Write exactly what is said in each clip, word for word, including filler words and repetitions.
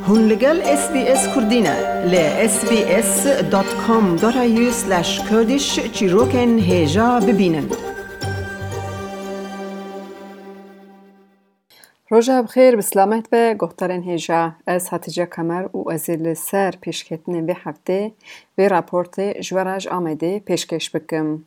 Hûn li gel S B S Kurdî ne. Li S B S dot com dot A U slash Kurdish çîrokên hêja bibînin. Roja bi xêr, bi silamet be, guhdarên hêja. Ez Hatice Kemer û ez ê li ser pêşketinên vê heftê vê raportê ji we re ji Amedê pêşkêş bikim.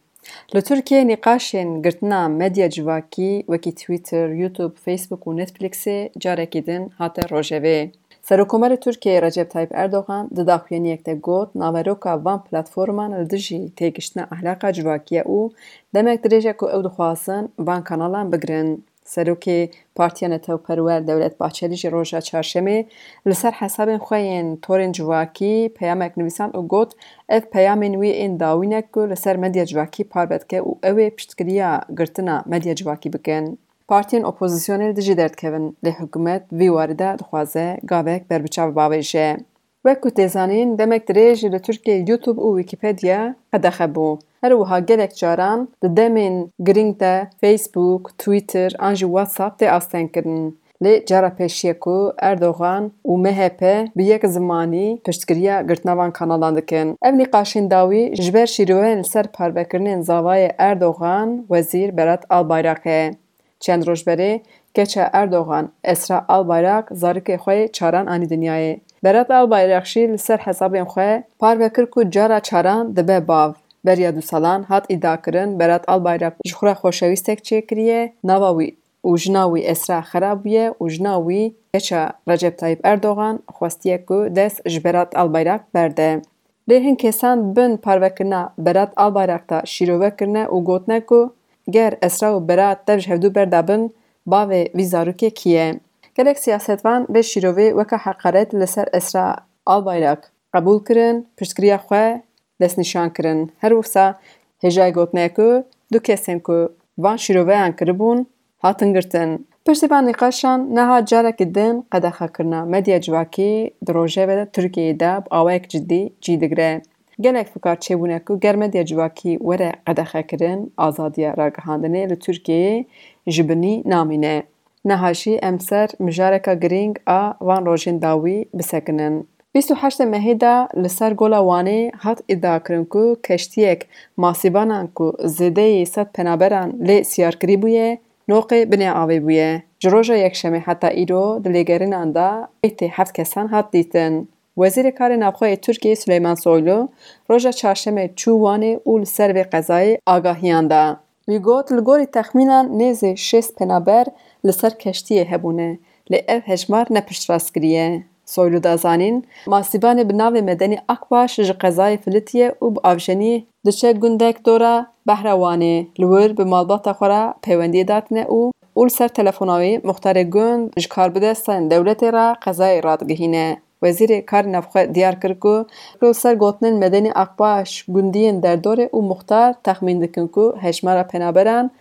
Li Tirkiyê nîqaşên girtina medya civakî wekî Twitter, YouTube, Facebook û Netflixê carekî din hate rojevê. Serokomarê Tirkiyeyê Recep Tayyip Erdogan di daxuyaniyek de got, naveroka van platforman li dijî têgiştina ehlaqa civakî ye û demek dirêj e ku ew dixwazin van kanalan bigirin. Serokê Partiya Netewperwer Dewlet Bahçelî jî roja çarşemê li ser hesabên xwe yên torên civakî peyamek nivîsand û got, ev peyamên wî ên dawî ne ku li ser medya civakî parve dike û ew ê piştgiriya girtina medya civakî bikin. Partiyên opozisyonê li dijî derdikevin, lê hikûmet vî warî de dixwaze gavek berbiçav bavêje. Wek ku tê zanîn, demek dirêj li Tirkiyeyê YouTube û Wikipedia qedexe bû. Her wiha gelek caran di demên girîng de Facebook, Twitter an jî WhatsApp tê astengkirin. Lê cara pêşî ye ku Erdogan û M H P bi yek zimanî piştgiriya girtina van kanalan dikin. Ev nîqaşên dawî ji ber şîroveyên li ser parvekirinên zavayê Erdogan, Wezîr Berat Albayrak e. Çend roj berê keça Erdogan, Esra Albayrak, zarokê xwe yê çaran anî dinyayê. Berat Albayrak jî li ser hesabên xwe parve kir ku cara çaran dibe bav. Beriya du salan hat îdiakirin Berat Albayrak ji xwe re xoşewîstek çêkiriye, nava wî û jina wî Esra xera bûye û jina wî keça Recep Tayyip Erdogan xwestiye ku dest ji Berat Albayrak berde. Lê hin kesan bin parvekirina Berat Albayrak de şîrove kirine û gotine ku ger Esra û Berat dev ji hevdû berdabin, bavê vî zarokê kî ye? Gelek siyasetvan vê şîrovê weke heqaret li ser Esra Albayrak qebûl kirin, piştgiriya xwe destnîşan kirin. Her wisa hêjayî gotinê ye ku du kesên ku van şîroveyan kiribûn, hatin girtin. Piştî van nîqaşan niha carekî din qedexekirina medya civakî di rojevê Tirkiyeyê de bi awayek cidî cî digire. Gelek fikar çêbûne ku ger medya civakî were qedexekirin, azadiya ragihandinê li Tirkiyeyê ji binî namîne. Niha jî em ser mijareka girîng a van rojên dawî bisekinin. Bîst û heştê mehê de li ser Gola Wanê hat îdiakirin ku keştiyek masîbanan ku zêdeyî sed penaberan lê siyarkirî bûye, noqê binê avê bûye. Ji roja Yekşemê heta îro di lêgerînan de meytê heft kesan hat dîtin. Wezîrê Karê Navxwe yê Tirkiyeyê Süleyman Soylu roja Çarşemê çû Wanê û li ser vê qezayê agahiyan da. Wî got, li gorî texmînan nêzî şêst penaber li ser keştiyê hebûne, lê ev hejmar ne piştrastkirî ye. Soylu da zanîn, masîbanê bi navê Medenî Akbaş ji qezayê filitiye û bi avjeniyê diçe gundek dora behra Wanê, li wir bi malbata xwe re peywendiyê datine û, û li ser telefona wî muxtarê gund ji karbidestên dewletê re qezayê radigihîne. Wezîrê Karê Navxwe diyar kir ku li ser gotinên Medenî Akbaş gundiyên derdorê û muxtar texmîn dikin ku hejmara penaberan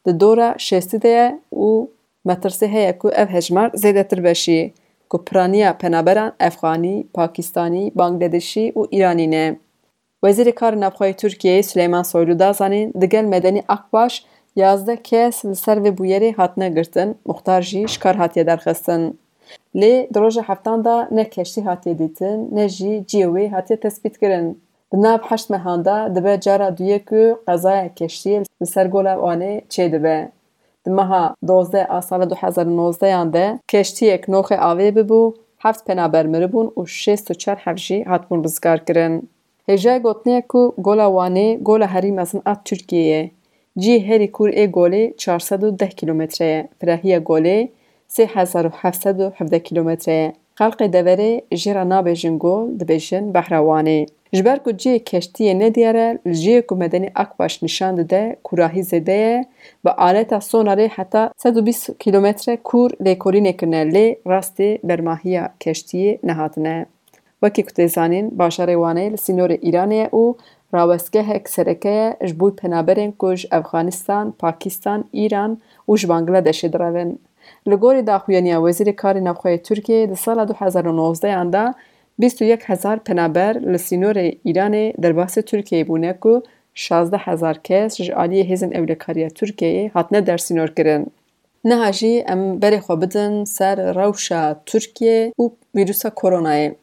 di dora şêstî de ye û metirsî heye ku ev hejmar zêdetir be jî, ku piraniya penaberan Efxanî, Pakistanî, Bangladeşî û Îranî ne. Wezîrê Karê Navxwe yê Tirkiyeyê Süleyman Soylu da zanîn, digel Medenî Akbaş yazdeh kes li ser vê bûyerê hatine girtin, muxtar jî ji kar hatiye derxistin. Lê di roja heftan de ne keştî hatiye dîtin, ne jî cihê wê hatiye tespîtkirin. Di nav heşt mehan de dibe cara duyê ku qezaya keştiyê li ser Gola Wanê çêdibe. Di meha dozdeh a sala du hezar û nozdehan de keştiyek noxê avê bibû, heft penaber miribûn û şêst û çar heb jî hatibûn rizgarkirin. Hêjayê gotinê ye ku Gola Wanê gola herî mezin a Tirkiyeyê ye. Cihê herî kûr ê golê çar sed û deh kîlometre ye, firahiya golê sê hezar û heft sed û hevdeh kîlometre ye. Xelkê deverê jê re nabêjin gol, dibêjin Behra Wanê. Ji ber ku cihê keştiyê nediyar e, li cihê ku Medenî Akbaş nîşan dide, kûrahî zêde ye, bi aleta sonarê heta sed û bîst kîlometre kûr lêkolînê kirine, lê rastê bermahiya keştiyê nehatine. Wekî ku tê zanîn, bajarê Wanê li sînorê Îranê ye û rawestgehek sereke ye ji bo penaberên ku ji Efxanistan, Pakistan, Îran û ji Bangladeshê direvin. Li gorî daxuyaniya Wezîrê Karê Navxwe yê Tirkiyeyê, di sala du hezar û nozdehan de bîst û yek hezar penaber li sînorê Îranê derbasî Tirkiyeyê bûne ku şazdeh hezar kes ji aliyê hêzên ewlekariya Tirkiyeyê hatine dersînorkirin. Niha jî em berê xwe bidin ser rewşa Tirkiyê û vîrusa koronayê.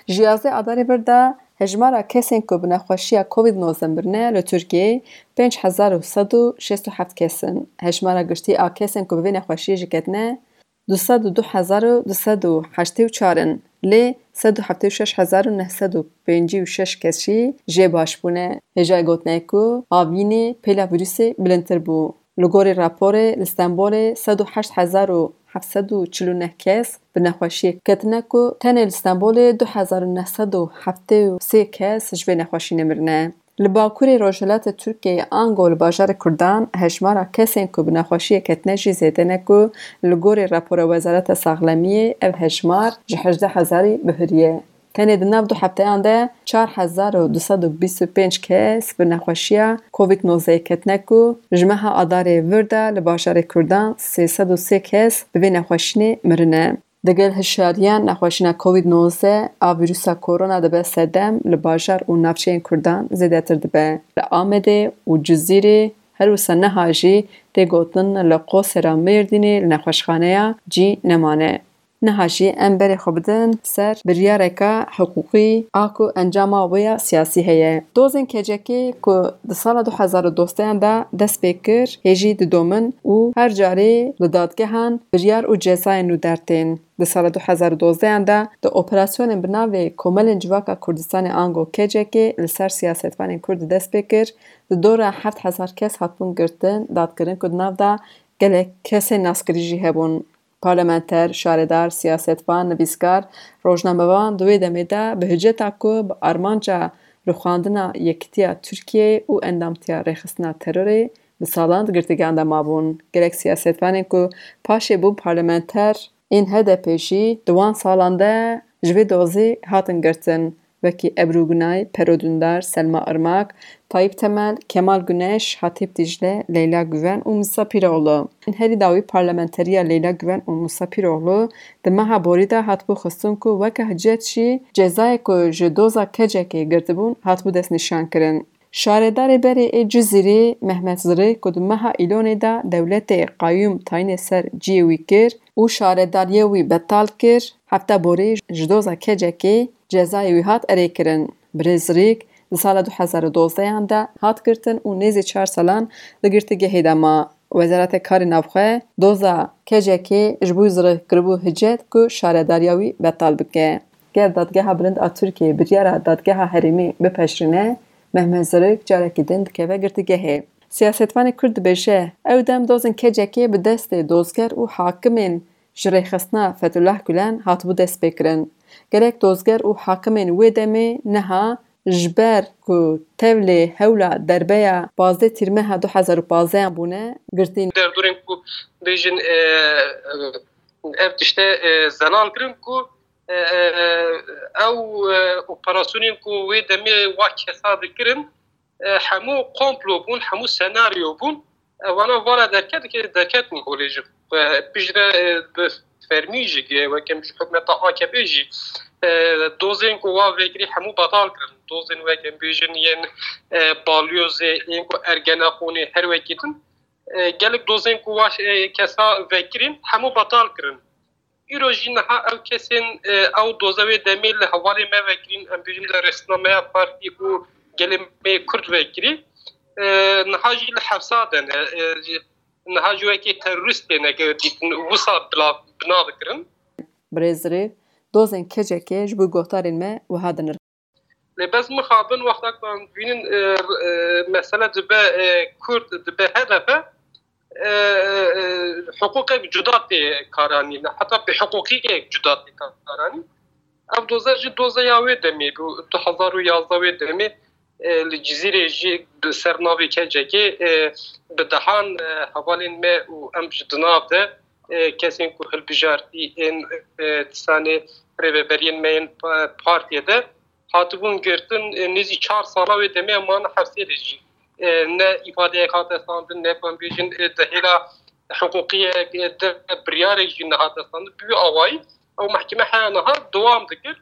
Ji yazdeh Adarê vir de hejmara kesên ku bi nexweşiya Covid nozdeh mirine li Tirkiyeyê pênc hezar û sed û şêst û heft kes in. Hejmara giştî a kesên ku bi vê nexweşiyê jî ketine du sed û du hezar û du sed û heştê û çar in. Lê sed û heftê û şeş hezar û neh sed û pêncî û şeş kes jî jê baş bûne. Hêjayê gotinê ku avînê pêla vîrusê bilindtir bû. Li gorî raporê li Stenbolê sed û heşt hezar û heft sed û çil û neh kes bi nexweşiyê ketine ku tenê li Stenbolê du hezar û neh sed û heftê û sê kes ji vê nexweşînê mirine. Li bakurê rojhilatê Tirkiyeyê ango li bajarê Kurdan hejmara kesên ku bi nexweşiyê ketine jî zêde ne ku li gorî rapora Wezareta Saxlemiyê ev hejmar ji hejdeh hezarî bihuriye. Tenê di nav du hefteyan de çar hezar û du sed û bîst û pênc kes bi nexweşiya Covid nozdeh ketine ku ji meha Adarê vir de li bajarê Kurdan sê sed û sê kes bi vê nexweşînê mirine. Digel hişyariyan nexweşîna Covid nozdeh a vîrusa korona dibe sedem li bajar û navçeyên Kurdan zêdetir dibe. Li Amedê û Cizîrê her wisa niha jî tê gotin li Qosera Mêrdînê li nexweşxaneya cî nemane. Niha jî em berê xwe bidin ser biryareka hiqûqî a ku encama wê ya siyasî heye. Dozên kecekê ku di sala du hezar û dozdehan de dest pê kir, hê jî didomin û her carê li dadgehan biryar û cezayên nû dertên. Di sala du hezar û dozdehan de di operasyonên bi navê Komelên Civaka Kurdistanê ango kecekê li ser siyasetvanên Kurd dest pê kir, di dora heft hezar kes hatibûn girtin, dadkirin ku di nav de gelek kesên naskirî jî hebûn. Parlamenter, şaredar, siyasetvan, nivîskar, rojnamevan di wê demê de bi hiceta ku bi armanca rûxandina yekitiya Tirkiyeyê û endamtiya rêxistina terorê bi salan di girtîgehan de mabûn. Gelek siyasetvanên ku paşê bûn parlamenter ên H D P jî di wan salan de ji vê dozê hatin girtin. Wekî Ebru Gunay, Pero Dündar, Selma Irmak, Tayyip Temel, Kemal Güneş, Hatip Dicle, Leyla Güven û Musa Piroğlu. Herî dawî parlamenteriya Leyla Güven û Musa Piroğlu di meha borî de hatibû xistin ku weke hicet jî cezayê ku ji doza kecekê girtibûn hatibû destnîşankirin. Şaredarê berê ê Cizîrê Mehmet Zirî ku di meha Îlonê de dewletê qayûm tayînê ser ciyê wî kir, û şaredariyê wî betal kir, hefta borî ji doza kecekê cezayê wî hat erêkirin. Birêz Rîk di sala du hezar û dozdehan de hat girtin û nêzî çar salan di girtîgehê de ma. Wezareta Karê Navxwe doza kecekê ji bo Zirîk kiribû hicet ku şaredariya wî betal bike. Ger Dadgeha Bilind a Tirkiyê biryara Dadgeha Herêmî bipejirîne, Mehmet Zirîk carekî din dikeve girtîgehê. Siyasetvanê Kurd dibêje, ew dem dozên kecekê bi destê dozger û hakimên ji rêxistina Fethullah Gulen hatibû destpêkirin. Gelek dozger û hakimên wê demê niha ji ber ku tevlê hewla derbeya pazdeh Tîrmeha du hezar û pazdehan bûne, girtî ne. Derdorên ku bêjin, e, e, ev tişte, e, zelal kirin ku, e, e, ew, e, operasyonên ku wê demê wa kesa dikirin, e, hemû komplo bûn, hemû senaryo bûn. E, vana vara derket, derketin holê jî. E, piştre, e, bi fermî jî, e, weke ji hikûmeta A K P jî, e, dozên ku wa vekirî hemû betal kirin. Dozên weke bêjin yên, e, balyozê, yên ku Ergenekon ê, her wekî din. E, gelek dozên ku wa, e, kesa vekirîn hemû betal kirin. Îro jî niha ew kesên, e, ew doza wê demê li hevalê me vekirîn, em bêjin li rêxistina me ya partî û gelê me yê Kurd vekirî, e, niha jî li hepsa de ne. E, jî, niha jî wekî terorîst têne dîtin, wisa bila, bina dikirin. Birêz Rêv, dozên kecekê ji bo guhdarên me wiha dinirxin. Lê bes mixabin wexta ku em dibînin, e, e, mesele dibe, e, Kurd, dibe H D P, e, e, e, hiqûqek cuda tê karanîn, heta bêhiqûqiyek cuda tê karanîn. Ev doza jî doza ya wê demê bû, du hezar û yazdeh wê demê, e, li Cizîrê jî bi ser navê kecekê, e, bi dehan, e, hevalên me û em ji di nav de, e, kesên ku hilbijartî ên, e, disanê rêveberiyên me yên pa-, partiyê de hatibûn girtin, e, nêzî çar sala wê demê em mane hepsê de jî, e, ne îfadeyek hate standin, ne ku em bêjin, e, di hêla hiqûqiyek, e, de biryarek jî nehate standin. Bi wî awayî ew mehkeme heya niha dewam dikir.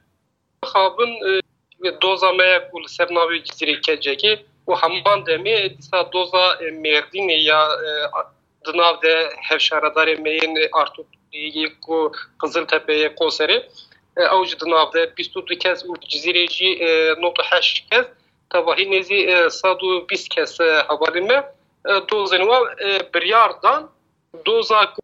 Mixabin, e, doza me ye ku li ser navê Cizîrê Kecekê û heman demê dîsa doza, e, Mêrdînê ya, e, di Di nav de hevşaredarê me yên Artuklu yê ku Qiziltepe yê Qoserê, e, ew jî di nav de bîst û du kes û Cizîrê jî, e, nod û heşt kes. Tevahî nêzî, e, sed û bîst kes, e, hevalên me, e, dozên wan, e, biryar dan. Doza ku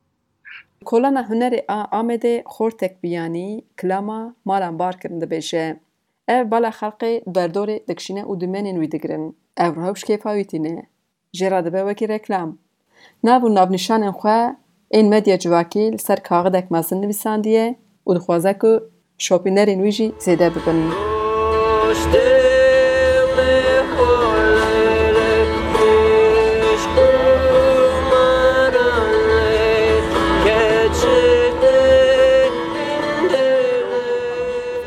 Kolana Hunerê a Amedê Xortek Biyanî kilama Malan Barkirin dibêje. Ev bala xelqê derdorê dikişîne û dûmenên wî digirin. Ev rewş kêfa wî tîne. Jê re dibe wekî reklam. Nav û navnîşanên xwe ên medya civakî li ser kaxidek mezin nivîsandiye û dixwaze ku şopînerên wî jî zêde bibin.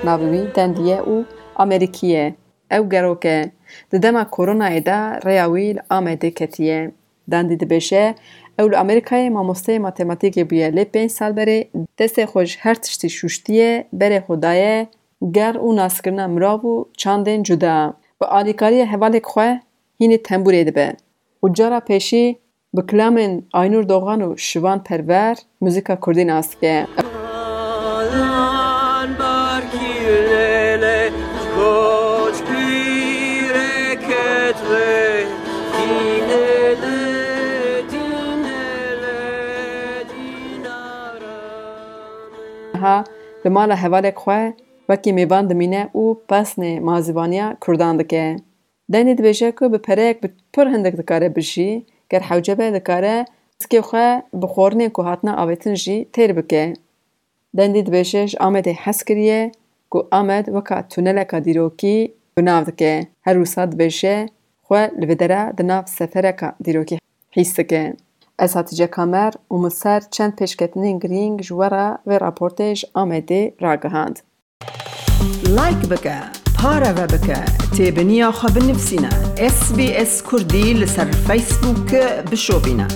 Navê wî Dendî ye û Amerîkî ye. Ew gerok e. Di dema koronayê de rêya wî li Amedê ketiye. Dendî dibêje, ew li Amerîkayê mamosteyê matematîkê bûye, lê pênc sal berê destê xwe ji her tiştî şûştiye, berê xwe daye ger û naskirina mirav û çandên cuda. Bi alîkariya hevalek xwe hînî tembûrê dibe û cara pêşî bi kilamên Aynur Doğan û Şivan Perwer muzîka kurdî nas dike. Niha li mala hevalek xwe wekî mêvan dimîne û pesnê mazîvaniya kurdan dike. Dendî dibêje ku bi pereyek bi pir hindik dikare bijî, ger hewce be dikare zikê xwe bi xwarinên ku hatine avêtin jî têr bike. Dendî dibêje ji Amedê hez kiriye ku Amed weka tuneleka dîrokî bi nav dike. Her wisa dibêje xwe li vê dera di nav sefereka dîrokî hîs dike. Ez Hatice Kamer û min ser çend pêşketinên girîng ji we re vê raportê ji Amedê ragihand. Like bike, pareve bike, têbiniya xwe binivîsîne. S B S Kurdî li ser Facebook bişopîne.